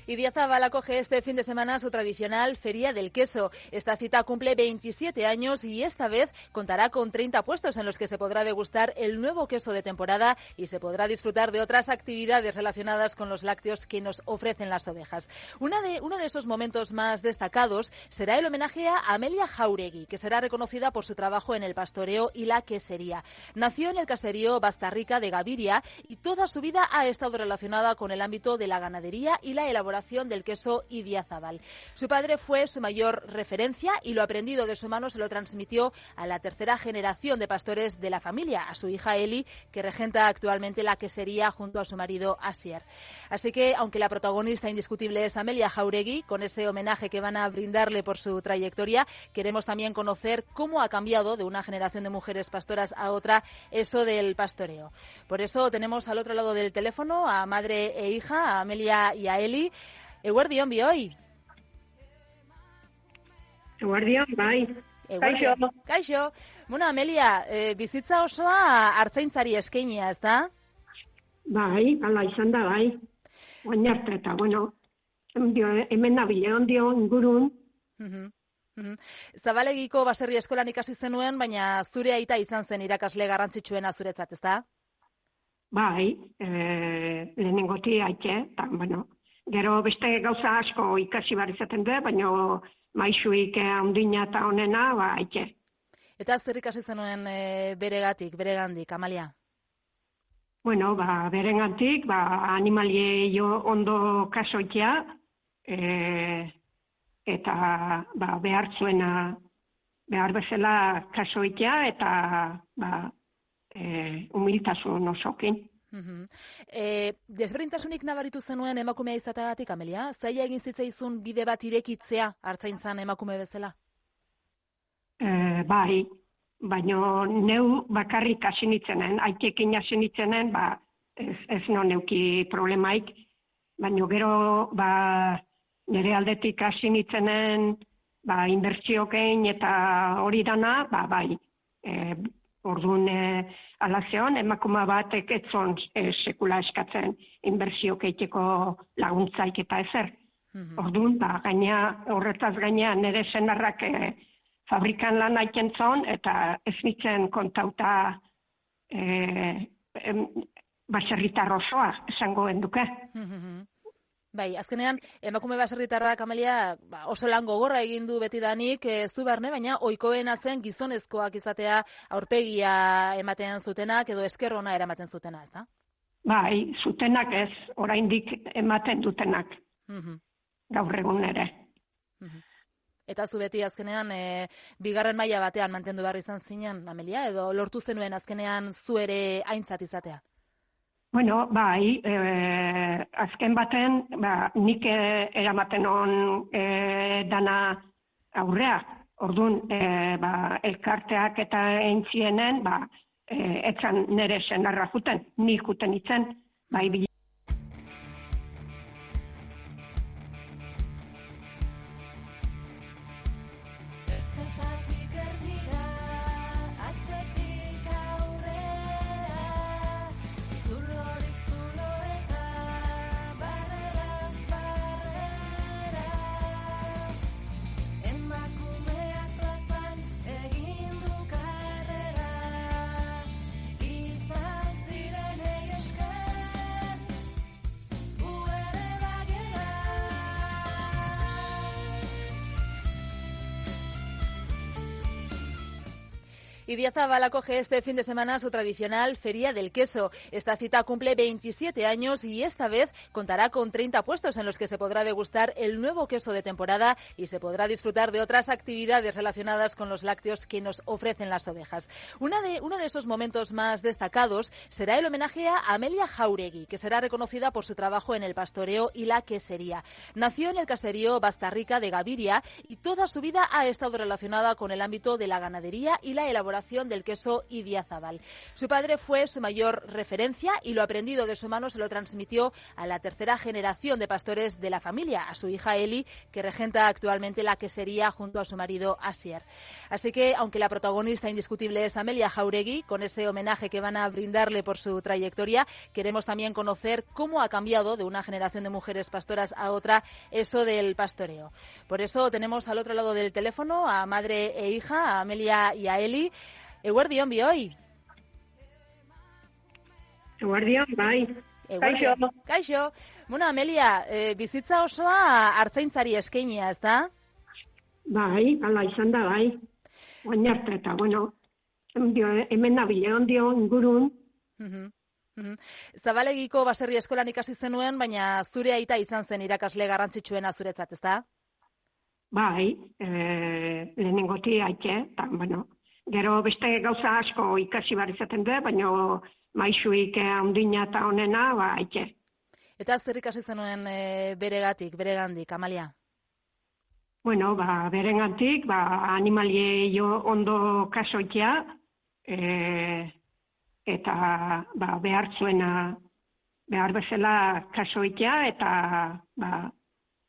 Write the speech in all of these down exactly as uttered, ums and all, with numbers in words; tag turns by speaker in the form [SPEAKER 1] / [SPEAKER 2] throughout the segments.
[SPEAKER 1] Idiazabal acoge este fin de semana su tradicional Feria del Queso. Esta cita cumple veintisiete años y esta vez contará con treinta puestos en los que se podrá degustar el nuevo queso de temporada y se podrá disfrutar de otras actividades relacionadas con los lácteos que nos ofrecen las ovejas. Una de, uno de esos momentos más destacados será el homenaje a Amelia Jauregui, que será reconocida por su trabajo en el pastoreo y la quesería. Nació en el caserío Bastarrica de Gaviria y toda su vida ha estado relacionada con el ámbito de la ganadería y la elaboración del queso Idiazabal. Su padre fue su mayor referencia y lo aprendido de su mano se lo transmitió a la tercera generación de pastores de la familia, a su hija Eli, que regenta actualmente la quesería junto a su marido Asier. Así que, aunque la protagonista indiscutible es Amelia Jauregui, con ese homenaje que van a brindarle por su trayectoria, queremos también conocer cómo ha cambiado de una generación de mujeres pastoras a otra eso del pastoreo. Por eso tenemos al otro lado del teléfono a madre e hija, a Amelia y a Eli. Eguerdion bioi.
[SPEAKER 2] Eguerdion, bai.
[SPEAKER 1] Eguerdion. Kaixo. Kaixo. Bueno, Amelia, eh, bizitza osoa artzaintzari eskeinia, ez da?
[SPEAKER 2] Bai, ala izan da, bai. Oin arte eta, bueno, hemen nabile ondio ingurun.
[SPEAKER 1] Uh-huh. Uh-huh. Zabalegiko baserri eskolan ikasi zenuen, baina zure aita izan zen irakasle garrantzitsuena zuretzat, ez da?
[SPEAKER 2] Bai, eh, lehenengoti aite, eta, bueno, gero beste gauza asko ikasi bar izaten du, baina maisuik handina eta honena, ba, aite.
[SPEAKER 1] Eta zer ikasi zenuen e, beregatik, beregandik, Amalia?
[SPEAKER 2] Bueno, ba, beregantik, ba, animalie jo ondo kasoitea, e, eta ba, behar zuena, behar bezala kasoitea, eta ba, e, humiltasun osokin.
[SPEAKER 1] Uh-huh. E, desberdintasunik nabaritu zenuen emakumea izateagatik, Amelia? Zaila egin zitzaizun bide bat irekitzea hartzaintzan emakume bezala?
[SPEAKER 2] E, bai, baina neu bakarrik hasi nitzenen, aitekin hasi nitzenen, ba, ez, ez no neuki problemaik, baina gero ba, nire aldetik hasi nitzenen ba, inbertsiokein eta hori dana, ba, bai, e, orduan e, alazeon, emakuma batek etzon e, sekula eskatzen inbertsioke iteko laguntzaik eta ezer. Mm-hmm. Orduan, ba, gaina, horretaz gaina nire senarrak e, fabrikan lan aiken zon, eta ez nitzen kontauta e, e, baserritar osoa esango enduke.
[SPEAKER 1] Mm-hmm. Bai, azkenean, emakume baserritarrak, Amelia, ba, oso lan gogorra egin du betidanik, ez du barne, baina ohikoena zen gizonezkoak izatea aurpegia ematen zutenak edo esker ona eramaten zutena, ez da?
[SPEAKER 2] Bai, zutenak ez, oraindik ematen dutenak,
[SPEAKER 1] mm-hmm.
[SPEAKER 2] gaur egun ere.
[SPEAKER 1] Mm-hmm. Eta zu beti azkenean, e, bigarren maila batean mantendu behar izan zinen, Amelia, edo lortu zenuen azkenean zu ere aintzat izatea?
[SPEAKER 2] Bueno, bai, e, azken baten, ba, nik eramaten on e, dana aurrea. Orduan, e, ba, elkarteak eta entzienen, ba, e, etzan nire senarra juten, nik juten itzen, bai, bila.
[SPEAKER 1] Idiazabal acoge este fin de semana su tradicional Feria del Queso. Esta cita cumple veintisiete años y esta vez contará con treinta puestos en los que se podrá degustar el nuevo queso de temporada y se podrá disfrutar de otras actividades relacionadas con los lácteos que nos ofrecen las ovejas. Una de, uno de esos momentos más destacados será el homenaje a Amelia Jauregui, que será reconocida por su trabajo en el pastoreo y la quesería. Nació en el caserío Bastarrica de Gaviria y toda su vida ha estado relacionada con el ámbito de la ganadería y la elaboración elaboración del queso Idiazabal. Su padre fue su mayor referencia y lo aprendido de su mano se lo transmitió a la tercera generación de pastores de la familia, a su hija Eli, que regenta actualmente la quesería junto a su marido Asier. Así que, aunque la protagonista indiscutible es Amelia Jauregui, con ese homenaje que van a brindarle por su trayectoria, queremos también conocer cómo ha cambiado de una generación de mujeres pastoras a otra eso del pastoreo. Por eso tenemos al otro lado del teléfono a madre e hija, a Amelia y a Eli. Eguerdion, bioi.
[SPEAKER 2] Eguerdion, bai.
[SPEAKER 1] Eguerdion. Kaixo. Kaixo. Bueno, Amelia, e, bizitza osoa artzaintzari eskeinia, ez da?
[SPEAKER 2] Bai, ala izan da, bai. Oin arte eta, bueno, hemen nabile ondio ingurun.
[SPEAKER 1] Uh-huh. Uh-huh. Zabalegiko baserri eskolan ikasi zenuen, baina zure aita izan zen irakasle garrantzitsuena zuretzat, ez da?
[SPEAKER 2] Bai, e, lehenengoti aite, eta, bueno, gero beste gauza asko ikasi bar izaten du, baina maisuik handina eta honena, ba, aite.
[SPEAKER 1] Eta zer ikasi zenuen e, beregatik, beregandik, Amalia?
[SPEAKER 2] Bueno, ba, beregantik, ba, animalie jo ondo kasoitea, e, eta ba, behar zuena, behar bezala kasoitea, eta ba,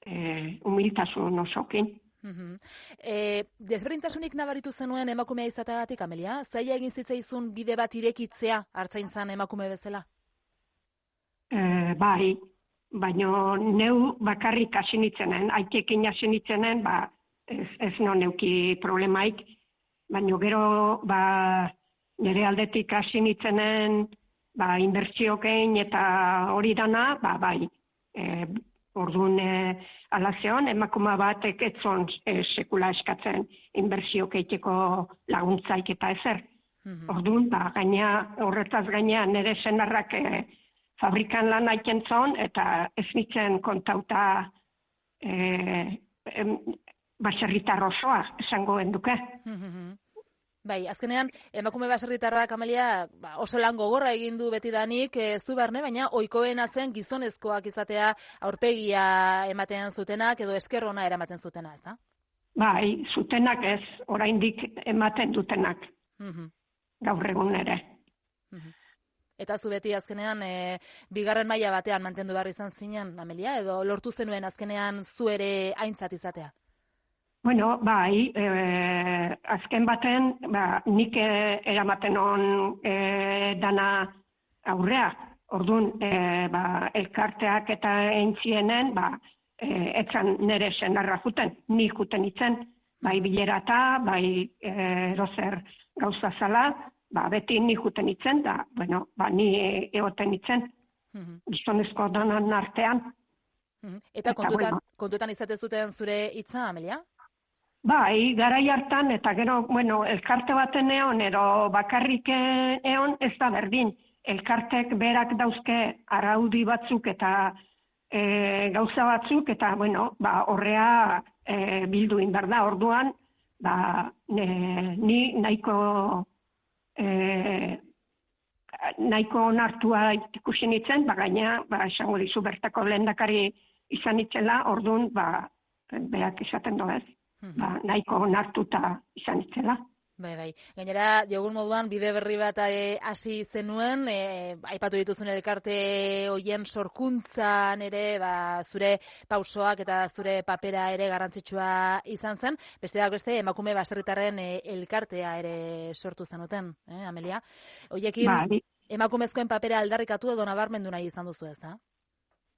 [SPEAKER 2] e, humiltasun osokin.
[SPEAKER 1] Uh-huh. E, desberdintasunik nabaritu zenuen emakumea izateagatik, Amelia? Zaila egin zitzaizun bide bat irekitzea hartzaintzan emakume bezala?
[SPEAKER 2] E, bai, baina neu bakarrik hasi nitzenen, aitekin hasi nitzenen, ba, ez, ez no neuki problemaik, baina gero ba, nire aldetik hasi nitzenen ba, inbertsiokein eta hori dana, ba, bai, e, orduan e, alazeon, emakuma batek etzon e, sekula eskatzen inbertsiokeiteko laguntzaik eta ezer. Mm-hmm. Orduan, ba, gaina, horretaz gaina nire senarrak e, fabrikan lan aiken zon, eta ez nitzen kontauta e, e, baserritar osoa esango enduke.
[SPEAKER 1] Mm-hmm. Bai, azkenean, emakume baserritarrak, Amelia, ba, oso lan gogorra egin du betidanik, ez du barne, baina ohikoena zen gizonezkoak izatea aurpegia ematen zutenak edo esker ona eramaten zutena, ez da?
[SPEAKER 2] Bai, zutenak ez, oraindik ematen dutenak,
[SPEAKER 1] mm-hmm.
[SPEAKER 2] gaur egun ere.
[SPEAKER 1] Mm-hmm. Eta zu beti azkenean, e, bigarren maila batean mantendu behar izan zinen, Amelia, edo lortu zenuen azkenean zu ere aintzat izatea?
[SPEAKER 2] Bueno, bai, e, azken baten, ba, nik eramaten on e, dana aurrea. Orduan, e, ba, elkarteak eta entzienen, ba, e, etzan nire senarra juten, ni juten itzen, bai bilerata, bai e, erozer gauza zala, ba, beti ni juten itzen, da, bueno, ba, ni egoten itzen, mm-hmm. gizonezko danan artean.
[SPEAKER 1] Mm-hmm. Eta, eta kontutan, bueno, kontutan izate zuten zure hitza, Amelia?
[SPEAKER 2] Bai, garai hartan, eta gero, bueno, elkarte baten eon, ero bakarrik eon, ez da berdin. Elkartek berak dauzke araudi batzuk eta e, gauza batzuk, eta, bueno, ba, horrea e, bildu inbar da. Orduan, ba, ne, ni nahiko, e, nahiko onartua ikusi nitzen, ba, gaina, ba, esango dizu bertako lehendakari izan nitzela, orduan, ba, berak izaten doez. Ba, nahiko onartuta izan itzela.
[SPEAKER 1] Bai, bai. Gainera, diogun moduan, bide berri bat hasi e, zenuen, e, aipatu dituzun elkarte hoien sorkuntzan ere, ba, zure pausoak eta zure papera ere garrantzitsua izan zen. Besteak beste, emakume baserritarren e, elkartea ere sortu zenuten, eh, Amelia? Hoiekin, bai. Emakumezkoen papera aldarrikatu edo nabarmendu nahi izan duzu ez, da?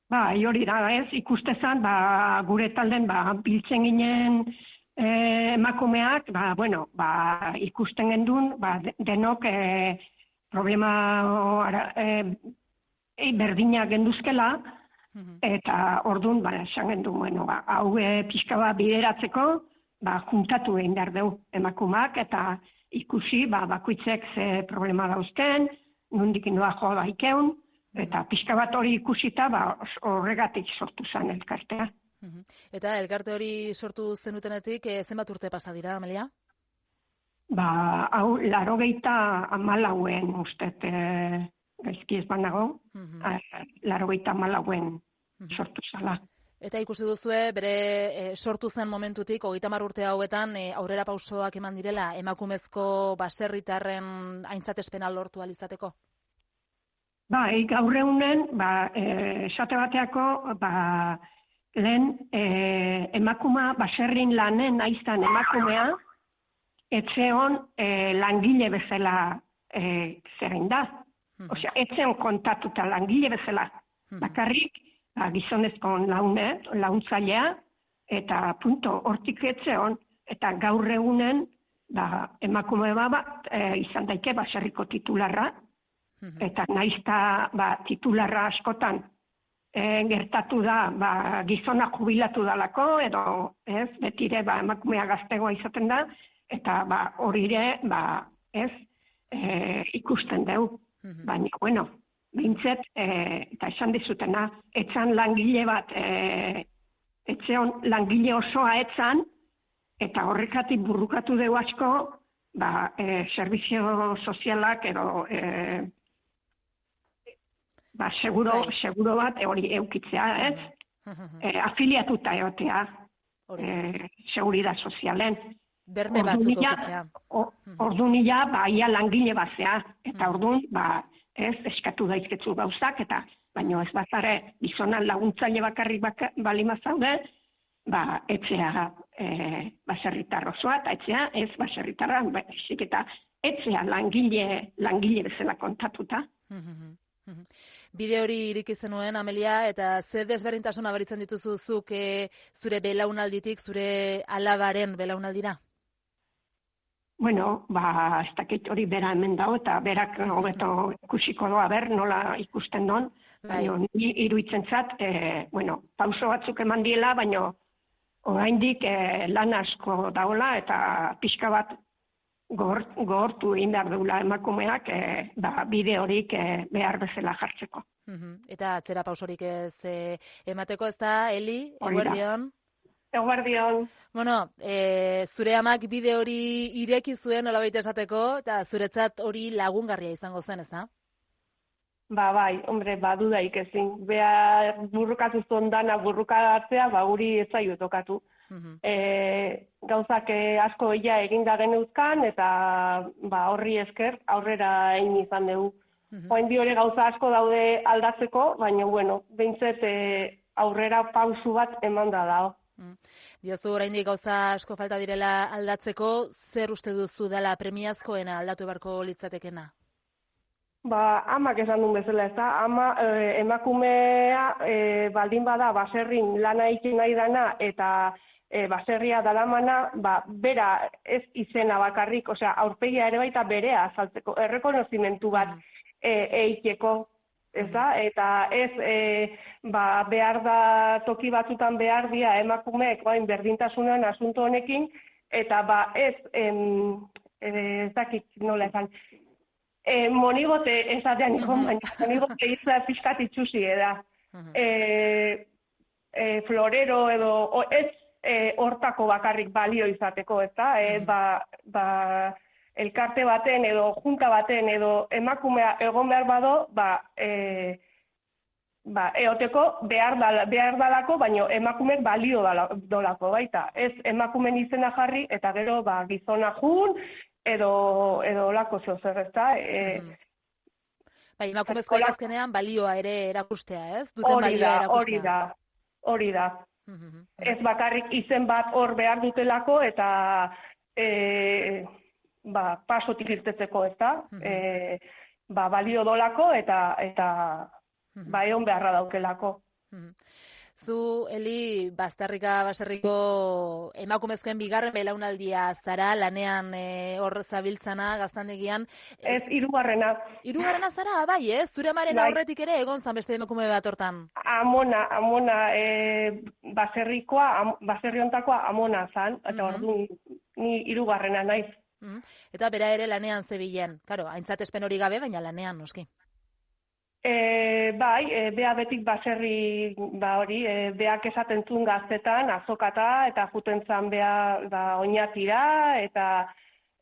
[SPEAKER 2] Ba, hori da, ez, ikustezan, ba, gure talden, ba, biltzen ginen eh, emakumeak, ba, bueno, ba, ikusten gendun, ba, denok eh, problema ara, eh, eh, berdinak genduzkela, mm-hmm. eta orduan, ba, esan gendun, bueno, ba, hau eh, pixka bat bideratzeko, ba, juntatu egin behar dugu emakumeak, eta ikusi, ba, bakoitzek ze problema dauzken, nondik noa joa daikeun, eta pixka bat hori ikusita, ba, horregatik sortu zen elkartea.
[SPEAKER 1] Uh-huh. Eta elkarte hori sortu zenutenetik, e, zenbat urte pasa dira, Amelia?
[SPEAKER 2] Ba, hau, larogeita amalauen, ustet, e, gaizki ez banago, uh-huh. larogeita amalauen uh-huh. sortu zala.
[SPEAKER 1] Eta ikusi duzue, bere e, sortu zen momentutik, hogeita hamar urte hauetan, e, aurrera pausoak eman direla, emakumezko baserritarren aintzatespena lortu alizateko?
[SPEAKER 2] Bai, gaur egunen, ba, esate bateako, ba, lehen e, emakuma baserrin lanen aiztan emakumea, etxeon e, langile bezala e, zerrein da. Mm-hmm. Osea, etxeon kontatuta langile bezala. Mm-hmm. Bakarrik, ba, gizonezko laune, launtzailea, eta punto, hortik etxeon, eta gaur egunen, ba, emakume bat e, izan daike baserriko titularra, mm-hmm. eta naizta ba, titularra askotan, E, gertatu da, ba, gizona jubilatu dalako, edo ez, betire ba, emakumea gaztegoa izaten da, eta ba, hori ere, ba, ez, e, ikusten dugu. Mm-hmm. Baina, bueno, bintzet, e, eta esan dizutena, etxan langile bat, e, etxeon langile osoa etxan, eta horrekatik burrukatu dugu asko, ba, e, servizio sozialak, edo, e, ba, seguro, seguro bat hori eukitzea, ez? E, afiliatuta egotea, e, seguridad sozialen.
[SPEAKER 1] Berme batzuk eukitzea.
[SPEAKER 2] Orduan ila, ba, ia langile bazea, eta orduan, ba, ez, eskatu daizketzu gauzak, eta, baino ez bazare, gizonan laguntzaile bakarrik baka, balima zaude, ba, etxea e, baserritar osoa, eta etxea, ez baserritarra, ba, eta etxea langile, langile bezala kontatuta.
[SPEAKER 1] Bide hori iriki zenuen, Amelia, eta ze desberdintasuna baritzen dituzu zuk e, zure belaunalditik, zure alabaren belaunaldira?
[SPEAKER 2] Bueno, ba, ez dakit hori bera hemen dago, eta berak hobeto ikusiko doa ber, nola ikusten don. Baina, ni iruditzen zat, e, bueno, pauso batzuk eman diela, baina oraindik e, lan asko daola, eta pixka bat gogortu egin behar duela emakumeak e, ba, bide horik e, behar bezala jartzeko.
[SPEAKER 1] Uh-huh. Eta atzera pausorik ez e, emateko, ez da, Eli, eguerdion?
[SPEAKER 3] Eguerdion.
[SPEAKER 1] Bueno, e, zure amak bide hori ireki zuen nolabait esateko, eta zuretzat hori lagungarria izango zen, ez da?
[SPEAKER 3] Ba, bai, hombre, ba, dudaik ezin. Bea burrukatu zuen dana burrukatzea, ba, guri ez zaio tokatu. Uh-huh. E, gauzak asko ia eginda geneuzkan, eta ba, horri esker aurrera egin izan dugu. Uh-huh. Oain bi hori gauza asko daude aldatzeko, baina, bueno, behintzet e, aurrera pausu bat eman da dago.
[SPEAKER 1] Uh-huh. Diozu, oraindik gauza asko falta direla aldatzeko, zer uste duzu dela premiazkoena aldatu beharko litzatekena?
[SPEAKER 3] Ba, amak esan duen bezala, ez da, ama e, emakumea e, baldin bada baserrin lana egin nahi dana eta e, baserria dalamana, ba, bera ez izena bakarrik, osea, aurpegia ere baita berea azaltzeko, errekonozimentu bat e, eiteko, ez da, eta ez e, ba, behar da toki batzutan behar dia emakumeek bain berdintasunan asunto honekin, eta ba, ez, em, ez dakit nola esan, E, monigote esatean ikon, baina monigote izan pixkat itxusi eda. E, e, florero edo, o, ez e, hortako bakarrik balio izateko, ez da? E, ba, ba, elkarte baten edo junta baten edo emakumea egon behar bado, ba, e, ba, eoteko behar, dala, behar dalako, baina emakumek balio dolako baita. Ez emakumen izena jarri eta gero ba, gizona jun, edo edo lako zer, ezta? Eh mm.
[SPEAKER 1] Bai, emakumezko azkenean balioa ere erakustea, ez? Duten balioa erakustea.
[SPEAKER 3] Hori da. Hori da. Mm-hmm. Ez bakarrik izen bat hor behar dutelako eta eh ba pasotik irtetzeko, ezta? Mm-hmm. Eh ba balio dolako eta eta mm-hmm. ba egon beharra daukelako.
[SPEAKER 1] Mm-hmm. Zu, Eli, Bazterrika baserriko emakumezkoen bigarren belaunaldia zara, lanean e, hor zabiltzana, gaztandegian.
[SPEAKER 3] Ez, hirugarrena.
[SPEAKER 1] Hirugarrena zara, bai, ez? Zure amaren bai. Aurretik ere egon zan beste emakume bat hortan.
[SPEAKER 3] Amona, amona, e, baserrikoa, am, baserri hontakoa amona zan, eta mm-hmm. orduan ni hirugarrena naiz.
[SPEAKER 1] Mm-hmm. Eta bera ere lanean zebilen. Karo, aintzatespen hori gabe, baina lanean, noski.
[SPEAKER 3] E, bai, e, bea betik baserri, ba hori, e, beak esaten zuen gaztetan, azokata, eta juten zan bea ba, oinatira, eta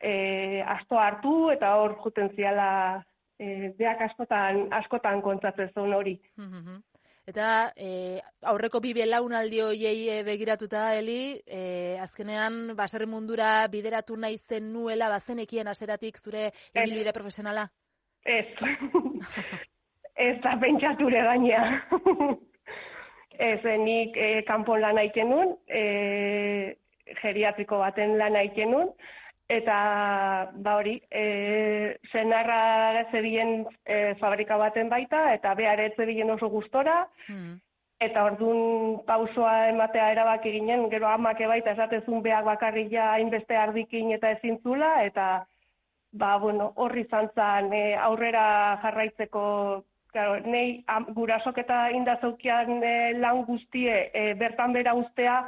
[SPEAKER 3] e, asto hartu, eta hor juten ziala, e, beak askotan, askotan kontzatzen zuen hori.
[SPEAKER 1] Mm-hmm. Eta e, aurreko bi belaunaldi horiei e, begiratuta, Eli, e, azkenean baserri mundura bideratu nahi zen nuela bazenekien haseratik zure ibilbide profesionala?
[SPEAKER 3] Ez. Ez da pentsature gainea. Ez, nik e, kanpon lan egiten nun, e, geriatriko baten lan egiten nun, eta ba hori, e, senarra zebien e, fabrika baten baita, eta behar ez zebien oso gustora, mm. eta orduan pausoa ematea erabaki ginen, gero amak baita esatezun behar bakarrik ja hainbeste ardikin eta ezin zula, eta ba, bueno, horri zantzan e, aurrera jarraitzeko, claro, nei am, gurasok eta indazaukian e, lan guztie e, bertan bera ustea,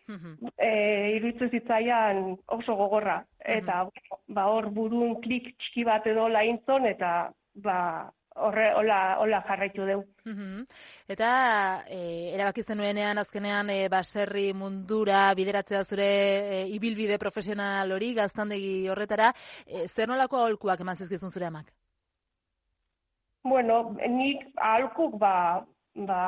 [SPEAKER 3] mm-hmm. e, iruditzen zitzaian oso gogorra. Eta mm-hmm. ba, hor burun klik txiki bat edo laintzon, eta ba, horre hola, hola jarraitu deu.
[SPEAKER 1] Mm-hmm. Eta e, erabakizten nuenean azkenean e, baserri mundura bideratzea zure e, ibilbide profesional hori gaztandegi horretara, e, zer nolako aholkuak eman zizkizun zure amak?
[SPEAKER 3] Bueno, nik aholkuk ba, ba,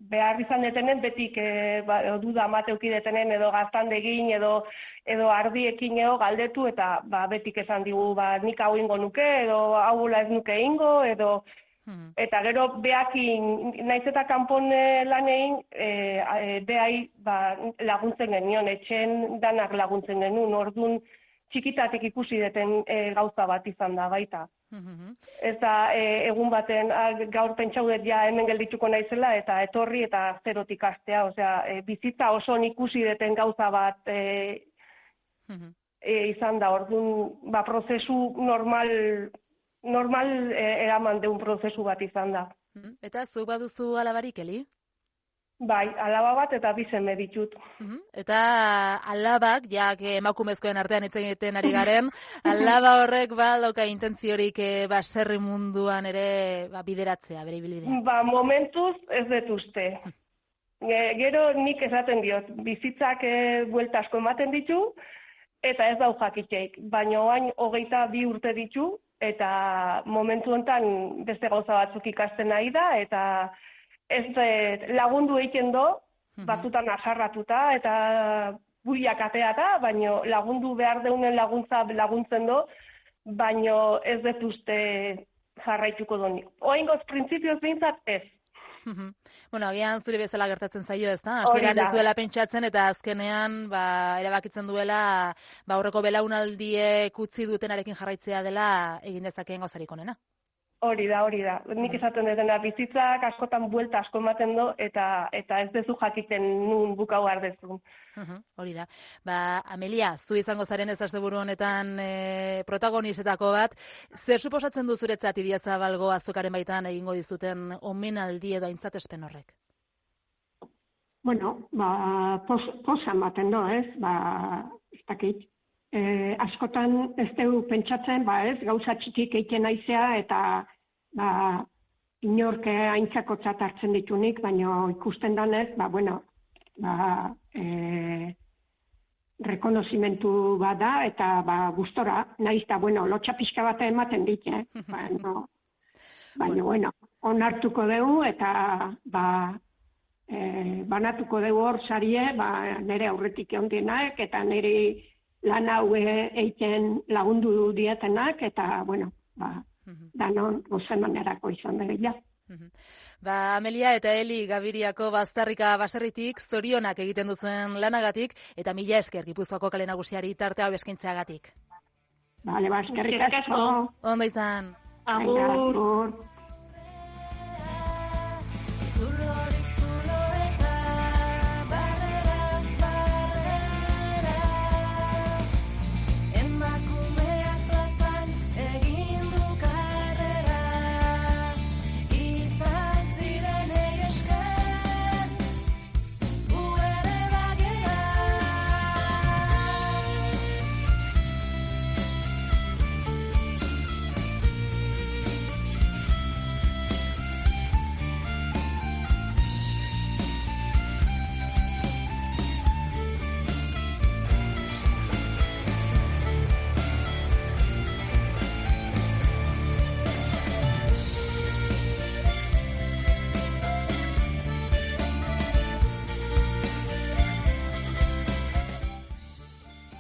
[SPEAKER 3] behar izan detenen betik e, ba, duda amateuki detenen edo gaztandegin edo edo ardiekin edo galdetu eta ba, betik esan digu ba, nik hau ingo nuke edo hau ez nuke ingo edo hmm. eta gero behakin naiz eta kanpon lan egin e, e, behai ba, laguntzen genion, etxen danak laguntzen genuen, orduan txikitatek ikusi deten e, gauza bat izan da baita. Mm-hmm. Eta e, egun baten a, gaur pentsaudet ja hemen geldituko naizela eta etorri eta zerotik hastea, osea, e, bizitza oso ikusi deten gauza bat e, mm-hmm. e, izan da, orduan, ba, prozesu normal, normal e, eraman deun prozesu bat izan da.
[SPEAKER 1] Mm-hmm. Eta zu baduzu alabarik, Eli?
[SPEAKER 3] Bai, alaba bat eta bi seme ditut.
[SPEAKER 1] Uh-huh. Eta alabak, jak emakumezkoen artean hitz egiten ari garen, alaba horrek ba dauka intentziorik e, baserri munduan ere ba, bideratzea, bere ibilbidea.
[SPEAKER 3] Ba, momentuz ez dut uste. E, gero nik esaten diot, bizitzak e, buelta asko ematen ditu, eta ez dau jakitzeik. Baina oain hogeita bi urte ditu, eta momentu honetan beste gauza batzuk ikasten nahi da, eta ez lagundu egiten do, batzutan asarratuta eta buiak ateata, baino lagundu behar deunen laguntza laguntzen do, baino ez dut uste jarraituko doni. Oaingoz printzipioz behintzat ez.
[SPEAKER 1] Bueno, agian zure bezala gertatzen zaio, ez da? Hasieran ez duela pentsatzen eta azkenean ba, erabakitzen duela ba, aurreko belaunaldiek utzi dutenarekin jarraitzea dela egin dezakeen gauzarik onena.
[SPEAKER 3] Hori da, hori da. Nik esaten dutena bizitzak askotan buelta asko ematen do eta eta ez dezu jakiten nun bukau ardezun.
[SPEAKER 1] Uh-huh, hori da. Ba, Amelia, zu izango zaren ez asteburu honetan e, protagonizetako bat, zer suposatzen du zuretzat Idiazabalgo azokaren baitan egingo dizuten omenaldi edo aintzatespen horrek?
[SPEAKER 2] Bueno, ba, pos, posa ematen do, ez? Ba, ez dakit. E, askotan ez dugu pentsatzen, ba ez, gauza txikik egiten naizea eta ba, inorke aintzakotzat hartzen ditunik, baina ikusten danez, ba, bueno, ba, e, rekonozimentu bat da eta ba, gustora, nahiz da, bueno, lotxa pixka bat ematen dit, eh? Baina, baina, bueno, onartuko dugu eta ba, e, banatuko dugu hor sarie, ba, nire aurretik eondienak eta nire lan hau egiten lagundu dietenak, eta, bueno, ba, uh-huh. danon gozemanerako izan dira.
[SPEAKER 1] Uh-huh. Ba, Amelia eta Eli Gabiriako Baztarrika baserritik zorionak egiten duzuen lanagatik, eta mila esker Gipuzkoako kale nagusiari tarte hau eskaintzeagatik.
[SPEAKER 2] Bale, ba, eskerrik asko.
[SPEAKER 1] Ondo izan.
[SPEAKER 3] Agur.